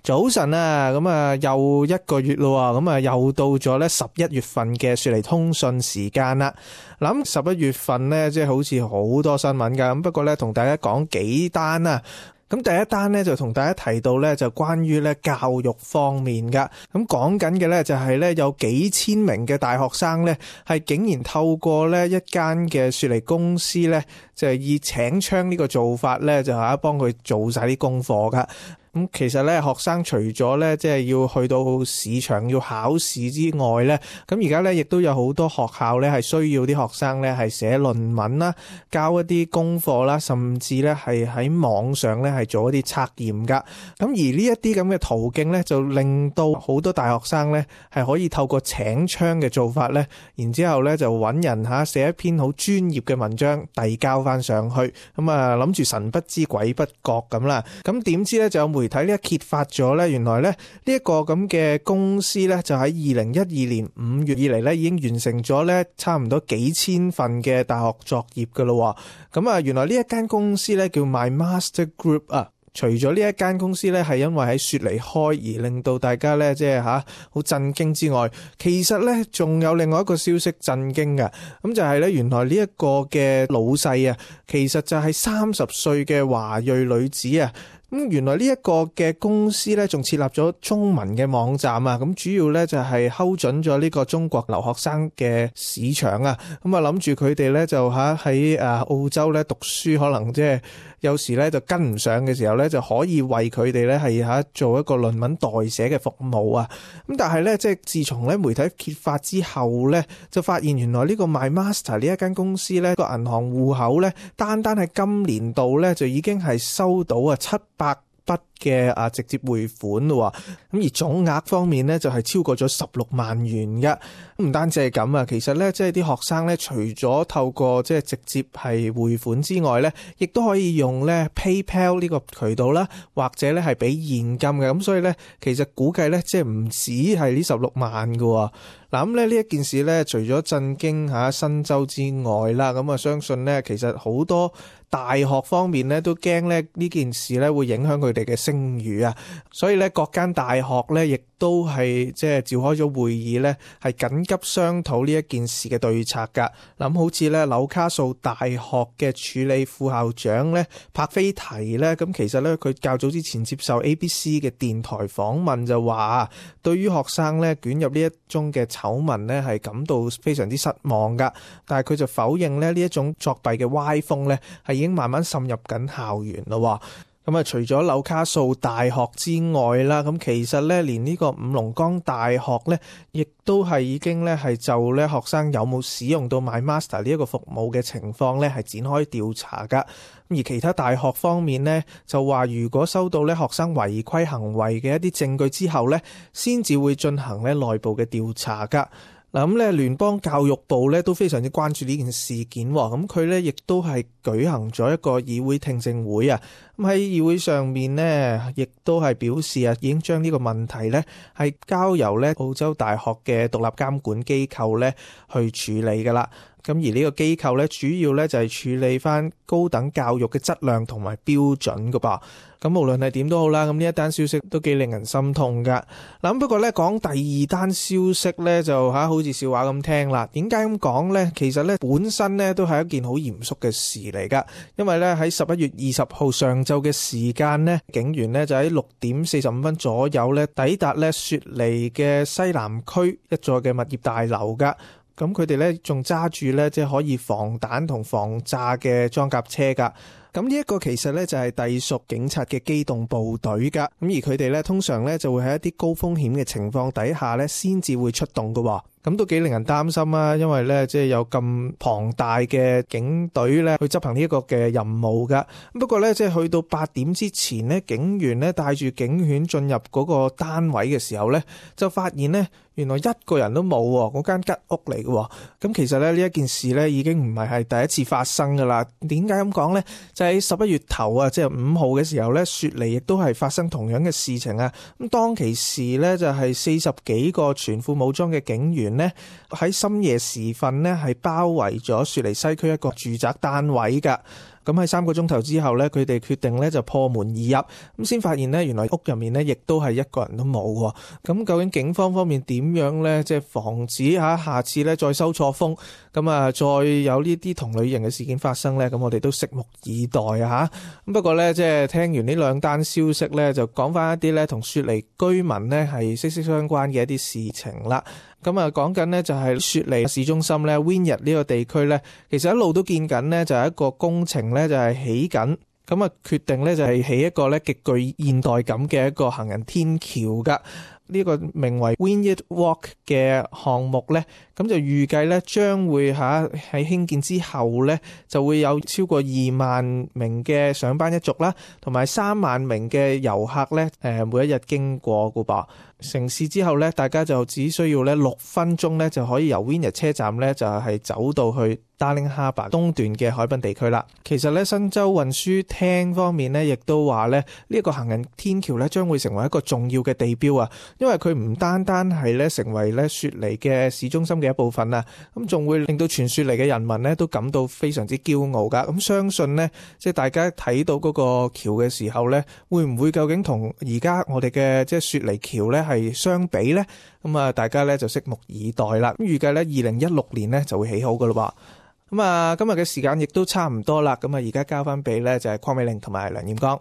早晨啊，咁啊又一個月咯，咁啊又到咗咧11月份嘅雪梨通訊時間啦。諗11月份咧，即係好似好多新聞噶，咁不過咧同大家講幾單啊。咁第一單咧就同大家提到咧，就關於咧教育方面噶。咁講緊嘅咧就係咧有幾千名嘅大學生咧，係竟然透過咧一間嘅雪梨公司咧，就係以請槍呢個做法咧，就係幫佢做晒啲功課噶。咁其實咧，學生除咗咧即係要去到市場要考試之外咧，咁而家咧亦都有好多學校咧係需要啲學生咧係寫論文啦、交一啲功課啦，甚至咧係喺網上咧係做一啲測驗噶。咁而呢一啲咁嘅途徑咧，就令到好多大學生咧係可以透過請槍嘅做法咧，然之後咧就揾人寫一篇好專業嘅文章遞交翻上去，咁啊諗住神不知鬼不覺咁啦。咁點知咧就有媒體呢一揭發咗咧，原來咧呢一個咁嘅公司咧就喺2012年5月以嚟咧已經完成咗咧差唔多幾千份嘅大學作業噶咯。咁啊原來呢一間公司咧叫 MyMaster Group 啊。除咗呢一間公司咧係因為喺雪梨開而令到大家咧即係好震驚之外，其實咧仲有另外一個消息震驚嘅，咁就係咧原來呢一個嘅老細啊，其實就係30歲嘅華裔女子啊。咁原來呢一個嘅公司咧，仲設立咗中文嘅網站啊！咁主要咧就係睺準咗呢個中國留學生嘅市場啊！咁啊諗住佢哋咧就喺澳洲咧讀書，可能即係有時咧就跟唔上嘅時候咧，就可以為佢哋咧係做一個論文代寫嘅服務啊！咁但係咧即係自從咧媒體揭發之後咧，就發現原來呢個 MyMaster 呢一間公司咧個銀行戶口咧，單係今年度咧就已經係收到700筆嘅直接匯款咯，咁而總額方面咧就係超過咗16萬元嘅。唔單止係咁啊，其實咧即係啲學生咧，除咗透過即係直接係匯款之外咧，亦都可以用咧 PayPal 呢個渠道啦，或者咧係俾現金嘅。咁所以咧，其實估計咧即係唔止係呢16萬嘅。嗱咁咧呢一件事咧，除咗震驚新州之外啦，咁啊相信咧其實好多大學方面咧都驚咧呢件事咧會影響佢哋嘅聲譽啊，所以咧各間大學咧亦都係即係召開咗會議咧，係緊急商討呢一件事嘅對策噶。咁好似咧紐卡素大學嘅處理副校長咧柏菲提咧，咁其實咧佢較早之前接受 ABC 嘅電台訪問就話，對於學生咧捲入呢一宗嘅醜聞咧係感到非常之失望噶，但係佢就否認咧呢一種作弊嘅歪風咧係已經慢慢滲入緊校園咯。咁啊，除咗紐卡素大學之外啦，咁其實咧連呢個五龍崗大學咧，亦都係已經咧係就咧學生有冇使用到 MyMaster 呢一個服務嘅情況咧係展開調查噶。而其他大學方面咧就話，如果收到咧學生違規行為嘅一啲證據之後咧，先至會進行咧內部嘅調查噶。嗱咁咧，聯邦教育部咧都非常之關注呢件事件喎。咁佢咧亦都係舉行咗一個議會聽證會啊。咁喺議會上面呢，亦都係表示已經將呢個問題咧係交由咧澳洲大學嘅獨立監管機構咧去處理噶啦。咁而呢個機構咧，主要咧就係處理翻高等教育嘅質量同埋標準噶噃。咁無論係點都好啦，咁呢一單消息都幾令人心痛噶。嗱，不過咧講第二單消息咧就好似笑話咁聽啦。點解咁講咧？其實咧本身咧都係一件好嚴肅嘅事嚟噶。因為咧喺11月20號上晝嘅時間咧，警員咧就喺6點45分左右咧抵達咧雪梨嘅西南區一座嘅物業大樓噶。咁佢哋咧仲揸住咧即係可以防彈同防炸嘅裝甲車噶。咁呢一個其實咧就係隸屬警察嘅機動部隊噶。咁而佢哋咧通常咧就會喺一啲高風險嘅情況底下咧先至會出動噶。咁都幾令人擔心啊，因為咧即係有咁龐大嘅警隊咧去執行呢一個嘅任務噶。不過咧即係去到8點之前咧，警員咧帶住警犬進入嗰個單位嘅時候咧，就發現咧原來一個人都冇喎，嗰間吉屋嚟嘅。咁其實咧呢一件事咧已經唔係第一次發生噶啦。點解咁講咧？就喺11月頭啊，即係5號嘅時候咧，雪梨亦都係發生同樣嘅事情啊。咁當其時咧就係40幾個全副武裝嘅警員呢喺深夜時分呢係包圍咗雪梨西區一個住宅單位噶。咁喺3個鐘頭之後呢，佢哋決定呢就破門而入，咁先發現呢，原來屋入面呢亦都係一個人都冇喎。咁究竟警方方面點樣呢？即係防止下次呢再收錯風，咁再有呢啲同類型嘅事件發生呢？咁我哋都拭目以待啊！咁不過呢，即係聽完呢2單消息呢，就講翻一啲呢同雪梨居民呢係息息相關嘅一啲事情啦。咁講緊呢就係雪梨市中心呢 Wynyard 呢個地區呢，其實一路都見緊呢就係一個工程呢就係起緊，咁決定呢就係起一個呢極具現代感嘅一個行人天橋噶。呢個名為 Wynyard Walk 嘅項目呢，咁就預計呢將會喺興建之後呢，就會有超過2萬名嘅上班一族啦，同埋3萬名嘅遊客呢，每一日經過噶噃。成事之後呢，大家就只需要呢6分鐘呢，就可以由 Wynyard 車站呢，就係走到去 Darling Harbour 東段嘅海濱地區啦。其實呢，新州運輸廳方面呢，亦都話呢，呢個行人天橋呢，將會成為一個重要嘅地標啊，因為佢唔單單係呢成為呢雪梨嘅市中心嘅一部分啊，咁仲會令到全雪梨嘅人民呢都感到非常之驕傲噶。咁相信呢，即係大家睇到嗰個橋嘅時候呢，會唔會究竟同而家我哋嘅即係雪梨橋呢係相比呢？咁大家呢就拭目以待啦。咁預計呢2016年呢就會起好噶啦噃。咁今日嘅時間亦都差唔多啦。咁而家交翻俾呢就係鄺美玲同埋梁艷剛。